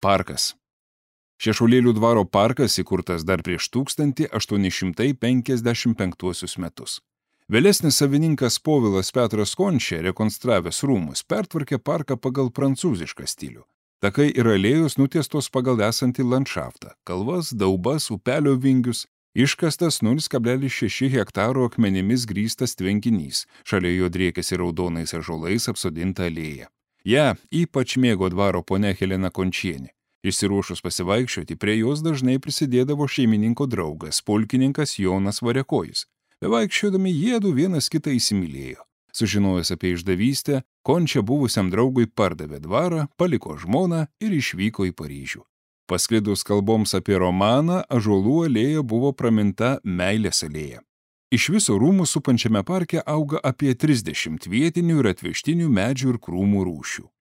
Parkas. Šešuolėlių dvaro parkas įkurtas dar prieš 1855 metus. Vėlesnis savininkas Povilas Petras Končia, rekonstravęs rūmus, pertvarkė parką pagal prancūzišką stilių. Takai ir alėjos nutiestos pagal esantį landšaftą, kalvas, daubas, upelio vingius, iškastas 0,6 hektaro akmenimis grįstas tvenkinys, šalia jo driekėsi raudonais ąžuolais apsodinta alėja. Ja ypač mėgo dvaro ponia Helena Končienė. Išsiruošus pasivaikščioti, prie jos dažnai prisidėdavo šeimininko draugas, pulkininkas Jonas Variakojis. Bevaikščiodami jiedu vienas kitą įsimylėjo. Sužinojęs apie išdavystę, Končia buvusiam draugui pardavė dvarą, paliko žmoną ir išvyko į Paryžių. Pasklidus kalboms apie romaną, ąžuolų alėja buvo praminta meilės alėja. Iš viso rūmų supančiame parke auga apie 30 vietinių ir atvežtinių medžių ir krūmų rūšių.